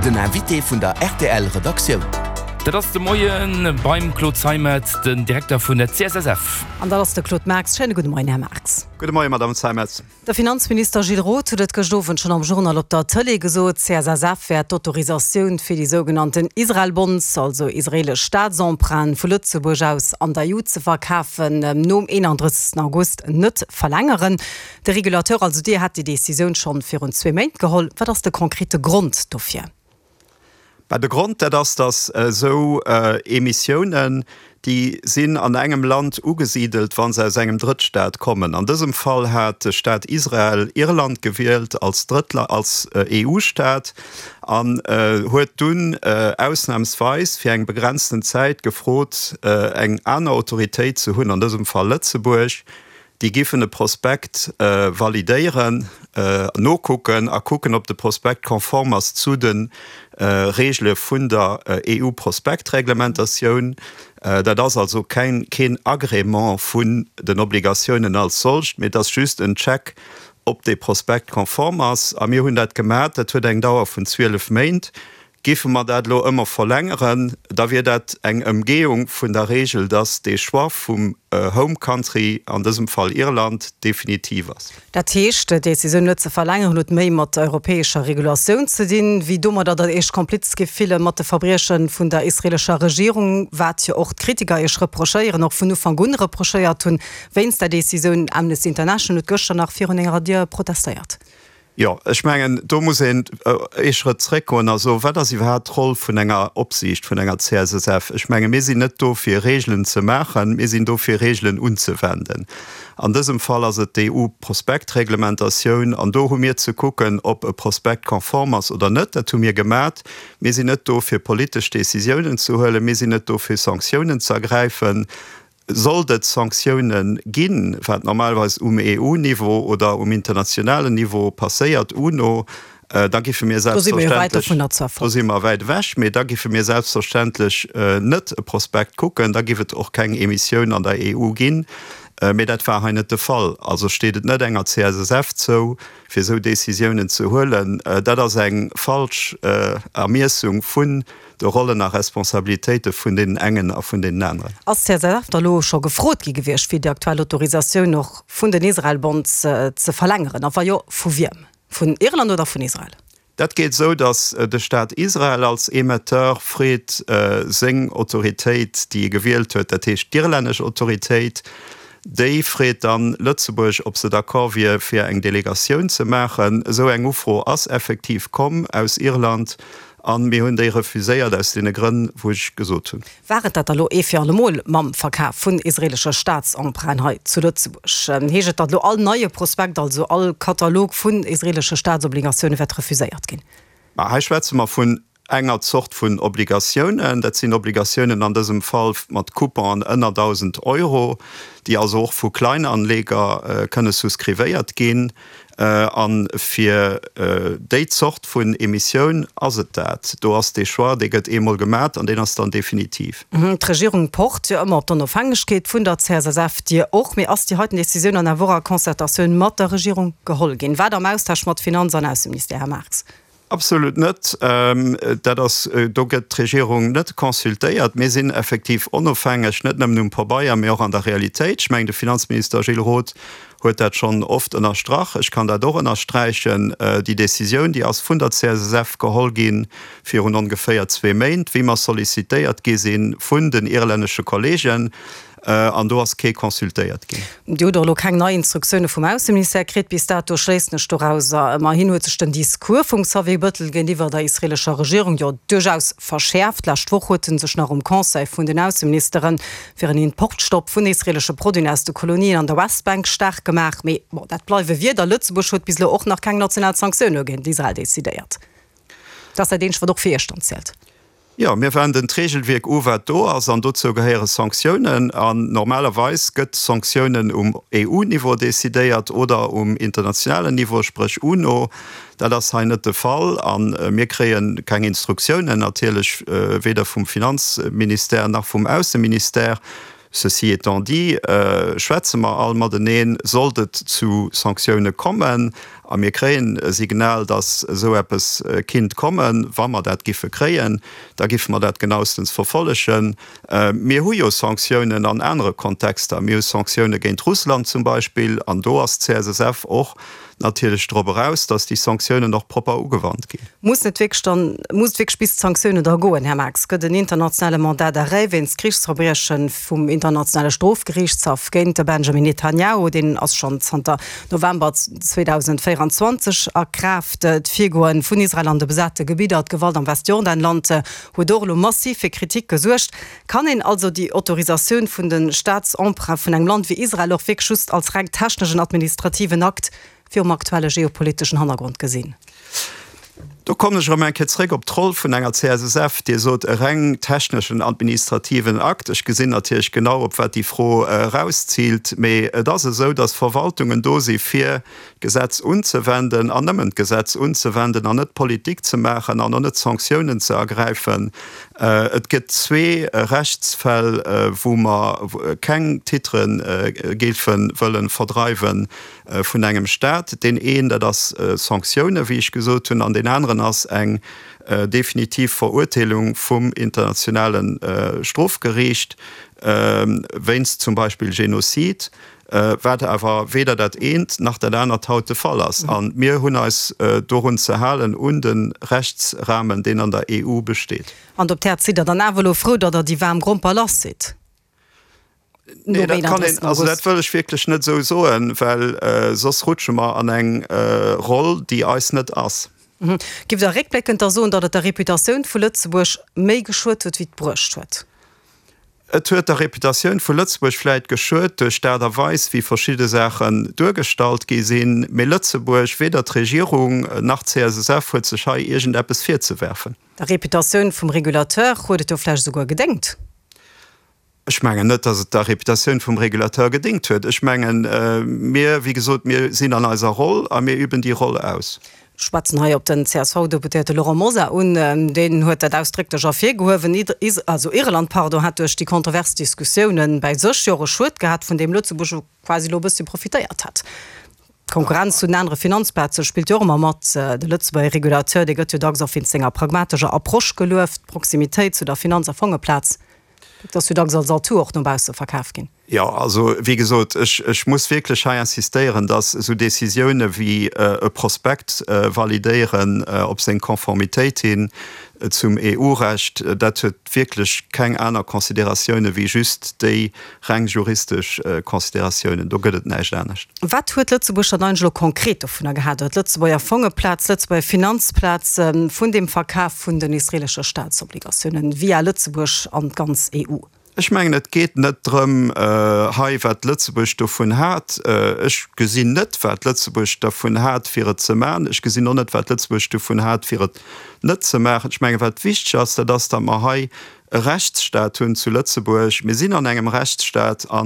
Den Invité vun der rtl Redaktioun. Dat ass de Moie beim Claude Zeimetz, den Direkter vun der CSSF. An dat ass de Claude Marx. Schéine gudde Moien, Här Marx. Gudde Moien, Madame Zeimetz. De Finanzminister Gilles Roth huet et gëscht Owend schonn am Journal op der Tëlee gesot, d'CSSF wäert d'Autorisatioun fir déi sougenannten Israel-Bonds, also israeelesch Staatsemprunten, vu Lëtzebuerg aus an der EU ze verkafen, nom 31. August net verlängeren. De Regulateur, also Dir, hat déi Decisioun schonn virun zwee Méint geholl. Wat ass de konkrete Grond dofir? Bah, de Grond, dat ass, datt esou Emissiounen, déi sinn an engem Land ugesidelt, wa se aus engem Drëttstaat kommen. An dësem Fall hat de Staat Israel Irland gewielt als Drëttla-, als EU-Staat an huet dunn ausnahmsweis fir eng begrenzten Zäit gefrot, eng aner Autoritéit ze hunn, an dësem Fall Lëtzebuerg, Déi giffen e Prospekt validéieren, nokucken a kucken, ob de Prospekt konform ass zu de Reegele vun der EU-Prospektreglementatioun. Dat ass also keng, keen Agrément vun den Obligatiounen als solcht, mee et ass just en Check, ob dee Prospekt konform ass. A mir hunn dat gemat. Dat huet eng Dauer vun 12 Méint. Géife mer dat elo ëmmer verlängeren, da wier dat eng Ëmgehung vun der Regel, dass dee Choix vum Home Country, an dësem Fall Irland, definitiv ass. Dat heescht, d'Décisioun net ze verlängeren huet méi mat der europäescher Regulatioun ze dinn, wéi domadder, datt Iech kompliz gi fille mat de Verbrieche vun der israelescher Regierung, wat jo och d'Kritiker Iech reprochéieren, och vun Ufank un reprochéiert hunn wéinst der Décisioun. Amnesty International huet gëschter nach virun Ärer Dier protestéiert. Jo, ech mengen, do muss een ee Schrëtt zréckgoen a soen, Wat ass iwwerhaapt d'Roll vun enger Opsiicht, vun enger CSSF? Ech menge mir sinn net do fir Regelen ze maachen, mir sinn do fir Regelen unzewenden. An dësem Fall ass et d'EU-Prospektreglementatioun an do hu mir ze kucken, ob e Prospekt konform ass oder net. Dat hu mir gemat. Mir sinn net do fir politesch Décisiounen ze huelen, mir sinn net do fir Sanktiounen ze ergräifen. Sollt et Sanktioune ginn, wat normalerweis um EU-Niveau oder um internationalen Niveau passéiert, UNO, da giffe mir selbstverständlech, do si mer wäit ewech, mee da giffe mir selbstverständlech net e Prospekt kucken, da giff et och keng Emissioun an der EU ginn. Mee dat war hei net de Fall. Also steet et net enger CSSF zou, fir esou Décisiounen ze huelen. Dat ass eng falsch Ermiessung vun de Rollen a Responsabilitéite vun deenen engen a vun deenen aneren. Ass d'CSF da lo scho gefrot gi gewiescht, fir déi aktuell Autorisatioun och vun den Israel-Bonds ze verlängeren? A wa jo, vu wiem? Vun Irland oder vun Israel? Dat geet esou, datt de Staat Israel als Emetteur freet, seng Autoritéit, déi e gewielt huet, dat heescht d'irlännesch Autoritéit, déi freet dann Lëtzebuerg, ob se d'accord wier, fir eng Delegatioun ze maachen. Esou eng Ufro ass effektiv komm aus Irland. A mir hunn déi refuséiert aus deene Grënn, wou ech gesot hunn. War et dat da lo ee fir allemol mam Verkaf vun israelesche Staatsemprunten hei zu Lëtzebuerg? Heescht et, datt lo all neie Prospekt, also all Katalog vun israelesche Staatsobligatioune wäert refuséiert ginn? Mä hei schwätze mer vun enger Zort vun Obligatiounen. Dat sinn Obligatiounen an dësem Fall mat Couponen ënner 1.000 Euro, déi also och vu Kleinanleger kënne souscrivéiert ginn. A fir déi Zort vun Emissioun ass et dat. Do ass dee Choix, dee gëtt eemol gemat an deen ass dann definitiv. D'Regierung pocht jo ëmmer op d'Onofhängegkeet vun der CSSF, Dir och. Mee ass déi heiten Decisioun an awer och a Concertatioun mat der Regierung geholl ginn? Wat am Austausch mat Finanz an Ausseministère, Här Marx? Absolut net. Dat ass, do gëtt d'Regierung net consultéiert. Mir sinn effektiv onofhängeg, net nëmmen um Pabeier, mee och an der Realitéit. Ech mengen, de Finanzminister Gilles Roth huet dat schonn oft ënnerstrach. Ech kann dat och ënnersträichen. Déi Décisioun, déi ass vun der CSSF geholl gi virun ongeféier zwee Méint, wéi mer sollicitéiert gi si vun den irlännesche Kollegen. An do ass kee consultéiert ginn. Dir hutt och elo keng nei Instruktioune vum Ausseministère kritt bis dato, schléissen ech dorauser. Ëmmerhin huet sech den Discours vum Xavier Bëttel géintiwwer der israeelescher Regierung jo duerchaus verschäerft. D'lescht Woch huet en sech nach um Conseil vun den Ausseministere fir en Importstopp vun israeelesche Produiten aus de Kolonien an der Westbank staark gemaach. Mee bon, dat bleiwe Wierder. Lëtzebuerg huet bis elo och nach keng national Sanktioune géint Israel decidéiert. Dat ass dat eenzegt, wat och fir Iech dann zielt. Jo, mir wenden d'Regelwierk u wat do ass, an dozou gehéiere Sanktiounen. An normalerweis gëtt Sanktiounen um EU-Niveau decidéiert oder um internationalen Niveau, spréch UNO. Dat ass hei net de Fall a mir kréie keng Instruktiounen natierlech, weder vum Finanzministère nach vum Ausseministère. Ceci étant dit, schwätze mer all mateneen, sollt et zu Sanktioune kommen. A mir kréien e Signal, datt esou eppes kinnt kommen. Wa mer dat giffe kréien, da giffe mer dat genaustens verfollegen. Mir hu jo Sanktiounen an anere Kontexter. Mir hu Sanktioune géint Russland zum Beispill. An do ass d'CSSF och natierlech drop eraus, datt déi Sanktiounen och propper ugewannt ginn. Muss net wierklech dann, muss et wierklech bis d'Sanktiounen da goen, Här Marx? Gëtt en internationale Mandat d'arrêt wéinst Krichsverbrieche vum Internationale Strofgeriichtshaff géint de Benjamin Netanyahu, deen ass schonn zanter November 2024 a Kraaft. D'Virgoe vun Israel an de besate Gebidder, d'Gewalt am Westjordanland huet och elo massiv fir Kritik gesuergt. Kann een also déi Autorisatioun vun de Staatsemprunts vun engem Land wéi Israel och wierklech just als reng techneschen administrativen Akt virum aktuelle geopoliteschen Hannergrond gesinn? Do kommen ech erëm eng Kéier zréck op d'Roll vun enger CSSF. Dir sot e reng techneschen administrativen Akt. Ech gesinn natierlech genau, op wat déi Fro erausziilt. Mee et ass esou, dass Verwaltungen do si fir d'Gesetz unzewenden an nëmmen d'Gesetz unzewenden an net Politik ze maachen an och net Sanktiounen ze ergräifen. Et gëtt zwee Rechtsfäll, wou mer keng Titre géife wëlle verdreiwe vun engem Stat. Deen een, dat ass Sanktiounen, wéi ech gesot hunn, an deen aneren ass eng definitiv Verurteelung vum Internationale Strofgeriicht wéinst zum Beispill Genozid. Wat awer weder dat eent nach dat anert haut de Fall ass. A mir hunn eis dorun ze halen, un de Rechtsrahmen, deen an der EU besteet. Hand op d'Häerz, sidd Der dann awer elo frou, datt Der déi waarm Gromper lass sidd? Nee, dat kann een, also dat wëll ech wierklech net esou soen, well soss rutsche mer an eng Roll, déi eis net ass. Giff Der réckbléckend da soen, datt et der Reputatioun vu Lëtzebuerg méi geschuet huet, wéi et bruecht huet? Et huet der Reputatioun vu Lëtzebuerg vläit geschuet duerch d'Aart a Weis, wéi verschidde Saachen duergestallt gi sinn. Mee Lëtzebuerg, weder d'Regierung nach d'CSSF huet sech hei iergendeppes virzewerfen. Der Reputatioun vum Regulateur huet et jo vläicht esouguer gedéngt. Ech mengen net, datt et der Reputatioun vum Regulateur gedéngt huet. Ech mengen, mir, wéi gesot, mir sinn an eiser Roll a mir üben déi Roll aus. Ech schwätzen hei op den CSV-Deputéierte Laurent Mosar un. Deen huet dat ausdrécklech ervirgehuewen. Also Irland, pardon, hat duerch déi kontrovers Diskussiounen bäi sech jo och e Schued gehat, vun deem Lëtzebuerg jo quasi elo e bësschen profitéiert hätt. D'Konkurrenz zu den anere Finanzplaze spillt jo och ëmmer mat. De Lëtzebuerger Regulateur, dee gëtt jo dacks och wéinst senger pragmatescher Approche gelueft. D'Proximitéit zu der Finanz a Fongeplaz, dat ass jo dacks als Atout och no bausse verkaf ginn. Jo, also wéi gesot, ech, ech muss wierklech hei insistéieren, dass esou Décisioune wéi e Prospekt validéieren op seng Konformitéit hin zum EU-Recht, dat huet wierklech keng aner Considératioune wéi just déi reng juristesch Considératiounen. Do gëtt et näischt anescht. Wat huet Lëtzebuerg dann eigentlech elo konkret dovunner gehat, oder d'Lëtzebuerger Fongeplaz, d'Lëtzebuerger Finanzplaz, vun deem Verkaf vun den israelesche Staatsobligatiounen via Lëtzebuerg an d'ganz EU? Ech mengen, et geet net drëm hei, wat Lëtzebuerg dovun hat. Ech gesinn net, wat Lëtzebuerg dervun hat, fir et ze maachen. Ech gesinn och net, wat Lëtzebuerg dovun hat, fir et net ze maachen. Ech mengen, wat wichteg ass, dat ass, datt mer hei e Rechtsstaat hunn zu Lëtzebuerg. Mir sinn an engem Rechtsstaat, a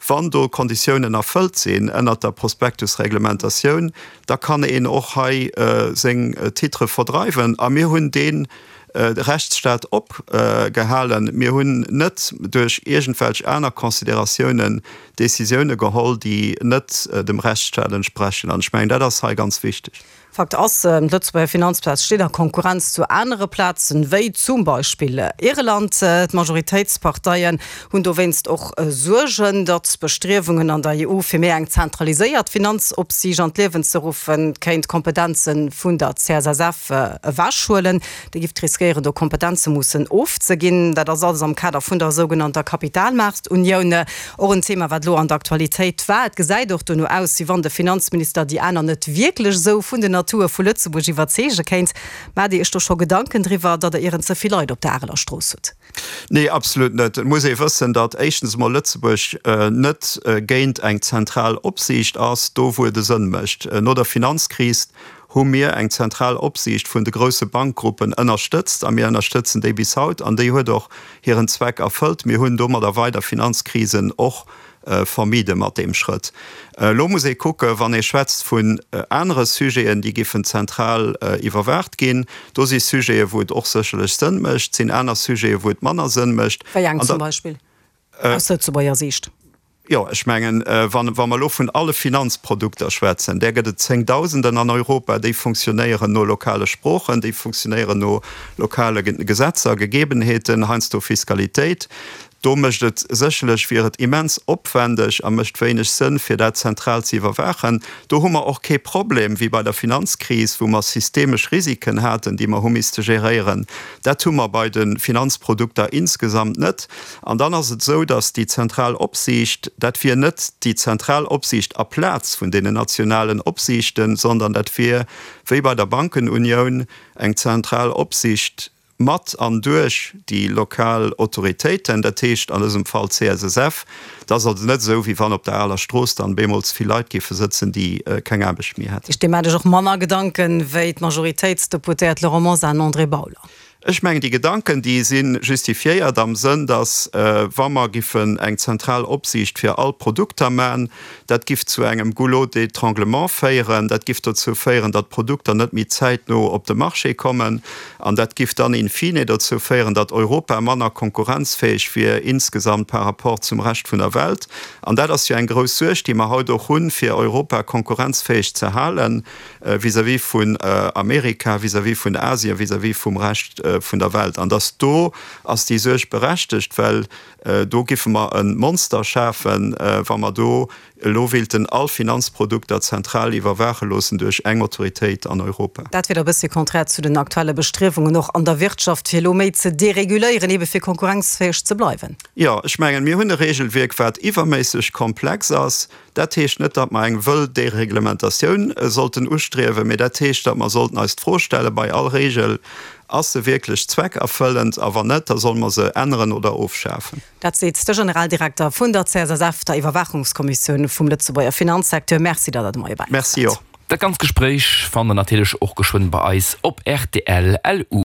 wann do Konditiounen erfëllt sinn ënnert der Prospektusreglementatioun, da kann een och hei seng Titre verdreiwen. A mir hunn dee Rechtsstaat opgehalen. Mir hunn net duerch iergendwelch aner Consideratiounen Décisioune geholl, déi net dem Rechtsstaat entsprechen. An ech mengen, dat ass hei ganz wichteg. Fakt ass, D'Lëtzebuerger Finanzplaz steet a Konkurrenz zu anere Plazen, wéi zum Beispill Irland. D'Majoritéitsparteien hunn dowéinst och Suergen, datt d'Bestriewungen an der EU fir méi eng zentraliséiert Finanzopsiicht an d'Liewen ze ruffen, kéint Kompetenze vun der CSSF ewechhuelen. Déi giff riskéieren, do Kompetenze mussen ofzeginn. Dat ass alles am Kader vun der sougenannter Kapitalmaartunioun. Och en Thema, wat elo an der Aktualitéit war. Et gesäit och dono aus, wéi wann de Finanzminister déi aner net wierklech esou vun den Atoue vu Lëtzebuerg iwwerzeege kéint. Maacht Dir Iech do scho Gedanken driwwer, datt Der ieren ze vill Leit op der Areler Strooss hutt? Nee, absolut net. Et muss ee wëssen, datt éischtens emol Lëtzebuerg net géint eng zentral Opsiicht ass, do wou et e Sënn mécht. No der Finanzkris hu mir eng zentral Opsiicht vun de grousse Bankgruppen ënnerstëtzt a mir ënnerstëtzen déi bis haut an déi huet och hiren Zweck erfëllt. Mir hunn domadder weider Finanzkrisen och vermide mat deem Schrëtt. Elo muss ee kucken, wann ee schwätzt vun anere Sujeten, déi giffen zentral iwwerwaacht ginn, do si Sujete wou et och sécherlech Sënn mécht, sinn aner Sujete wou et manner Sënn mécht. Wéi eng zum Beispill aus Lëtzebuerger Siicht? Jo, ech mengen, wa mer elo vun alle Finanzprodukter schwätzen, där gëtt et Zéngdausenden an Europa, déi funktionéieren no lokale Sproochen, déi funktionéieren no lokale Gesetzer, Gegebenheeten, heiansdo Fiskalitéit. Do mécht et sécherlech, wier et immens opwendeg a mécht wéineg Sënn, fir dat zentral ze iwwerwaachen. Do hu mer och kee Problem wéi bei der Finanzkris, wou mer systemesch Risiken haten, déi mer hu misste geréieren. Dat hu mer bei de Finanzprodukter insgesamt net. An dann ass et esou, datt déi zentral Opsiicht, dat wier net déi zentral Opsiicht aplaz vun deenen nationalen Opsiichten, sondern dat wier, wéi bei der Bankenunioun, eng zentral Opsicht mat an duerch déi lokal Autoritéiten, dat heescht an dësem Fall d'CSSF. Et ass also net esou, wéi wann op der aler Strooss dann bemools vill Leit géife sëtzen, déi keng Aarbecht méi hätten. Ech deem hat ech och manner Gedanken, wéi d'Majoritéitsdeputéiert Laurent Mosar an André Bauler. Ech mengen, déi Gedanken, déi si justifiéiert am Sënn, datt, wa mer giffen eng zentral Opsiicht fir all Produkter man, dat giff zu engem Goulot d'étranglement féieren, dat giff dozou féieren, datt d'Produkter net méi zäitno op de Marché kommen an dat giff dann in fine dozou féieren, datt Europa manner konkurrenzfäeg wier insgesamt par rapport zum Rescht vun der Welt. An dat ass jo eng grouss Suerg, déi mer haut och hunn, fir Europa konkurrenzfäeg ze halen. vis-à-vis vun Amerika, vis-à-vis vun Asien, vis-à-vis vum Rescht vun der Welt. An dass do ass déi Suerg berechtegt, well do giffe mer e Monster schafen, wa mer do elo wéilten all Finanzprodukter zentral iwwerwaache loossen duerch eng Autoritéit an Europa. Dat wier da e bëssi konträr zu den aktuelle Bestriewungen och an der Wirtschaft, fir elo méi ze dereguléieren, ebe fir konkurrenzfäeg ze bleiwen. Jo, ech mengen, mir hunn e Regelwierk, wat iwwerméisseg komplex ass. Dat heescht net, datt mer eng wëll Dereglementatioun sollten ustriewen, mee dat heescht, datt mer sollten eis d'Fro stelle bei all Regel, Ass se wierklech zweckerfëllend? A wann net, da solle mer se änneren oder ofschafen. Dat seet de Generaldirekter vun der CSSF, der Iwwerwaachungskommissioun vum Lëtzebuerger Finanzsecteur. Merci, datt Der de Moie bei eis Merci waart. och. Dat ganzt Gespréich fannt der natierlech och geschwënn bei eis op rtl. LU.